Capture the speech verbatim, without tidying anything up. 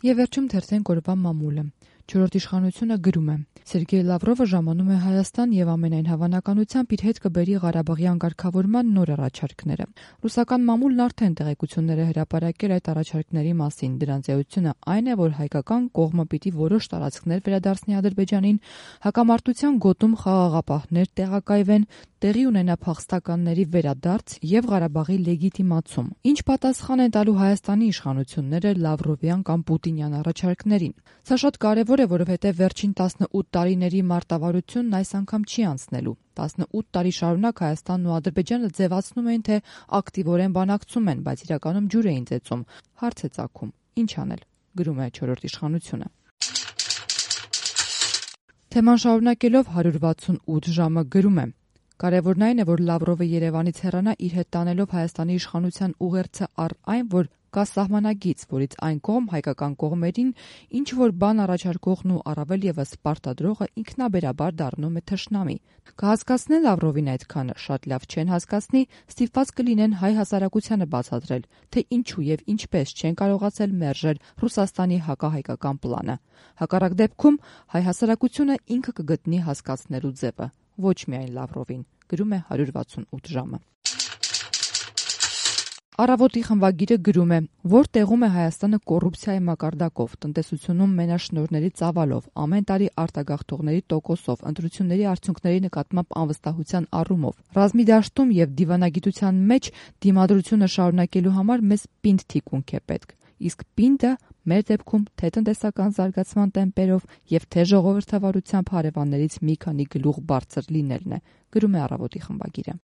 Եվ վերջում թերթենք օրվա մամուլը։ Չորրորդ իշխանությունը գրում է. Սերգեյ Լավրովը ժամանում է Հայաստան եւ ամենայն հավանականությամբ իր հետ կբերի Ղարաբաղյան կարգավորման նոր առաջարկները։ Ռուսական մամուլն արդեն տեղեկություններ է հրապարակել այդ առաջարկների մասին։ Դրանց էությունը այն է, որ հայկական կողմը պիտի որոշ տարածքներ վերադարձնի Ադրբեջանին, հակամարտության գոտում խաղաղապահներ տեղակայվեն, տեղի ունենա փախստականների վերադարձ եւ Ղարաբաղի լեգիտիմացում։ Ինչ պատասխան են տալու Հայաստանի իշխանությունները Լավրովյան կամ Պուտինյան առաջարկներին։ Սա շատ կարևոր է, որովհետեւ վերջին տասնութ տարիների մարտավարությունն այս անգամ չի անցնելու։ տասնութ տարի շարունակ Հայաստանն ու Ադրբեջանը ձևացնում էին, թե ակտիվորեն բանակցում են, բայց իրականում ջուր էին ծեծում, հարց է ծագում։ Ինչ անել, գրում է չորրորդ իշխանությունը։ Թեման շարունակելով հարյուր վաթսունութ ժամը գրում է. Կարևորն այն է, որ Լավրովը Երևանից հեռանա իր հետ տանելով Հայաստանի իշխանության ուղերձը առ այն, որ կա սահմանագիծ, որից այն կողմ հայկական կողմերին ինչ որ բան առաջարկողն ու առավել եւս պարտադրողը ինքնաբերաբար դառնում է թշնամի։ Կհասկացնեն Լավրովին այդքանը, շատ լավ չեն հասկացնի, ստիպված կլինեն հայ հասարակությանը բացատրել, թե ինչու եւ ինչպես չեն կարողացել մերժել Ռուսաստանի հակահայկական պլանը։ Հակառակ դեպքում հայ հասարակությունը ինքը կգտնի հասկացնելու ձևը, ոչ միայն Լավրովին, գրում է հարյուր վաթսունութ ժամը։ Առավոտի խմբագիրը գրում է, որ տեղում է Հայաստանը կոռուպցիայի մակարդակով, տնտեսությունում մենաշնորհների ծավալով, ամեն տարի արտագաղթողների տոկոսով, ընտրությունների արդյունքների նկատմամբ անվստահության առումով։ Ռազմի դաշտում եւ դիվանագիտության մեջ դիմադրությունը շարունակելու համար մեզ պինդ թիկունք է պետք։ Իսկ պինդը մեր դեպքում թե տնտեսական զարգացման տեմպերով եւ թե ժողովրդավարությամբ հարևաններից մի քանի գլուխ բարձր լինելն է, գրում է Առավոտի խմբագիրը։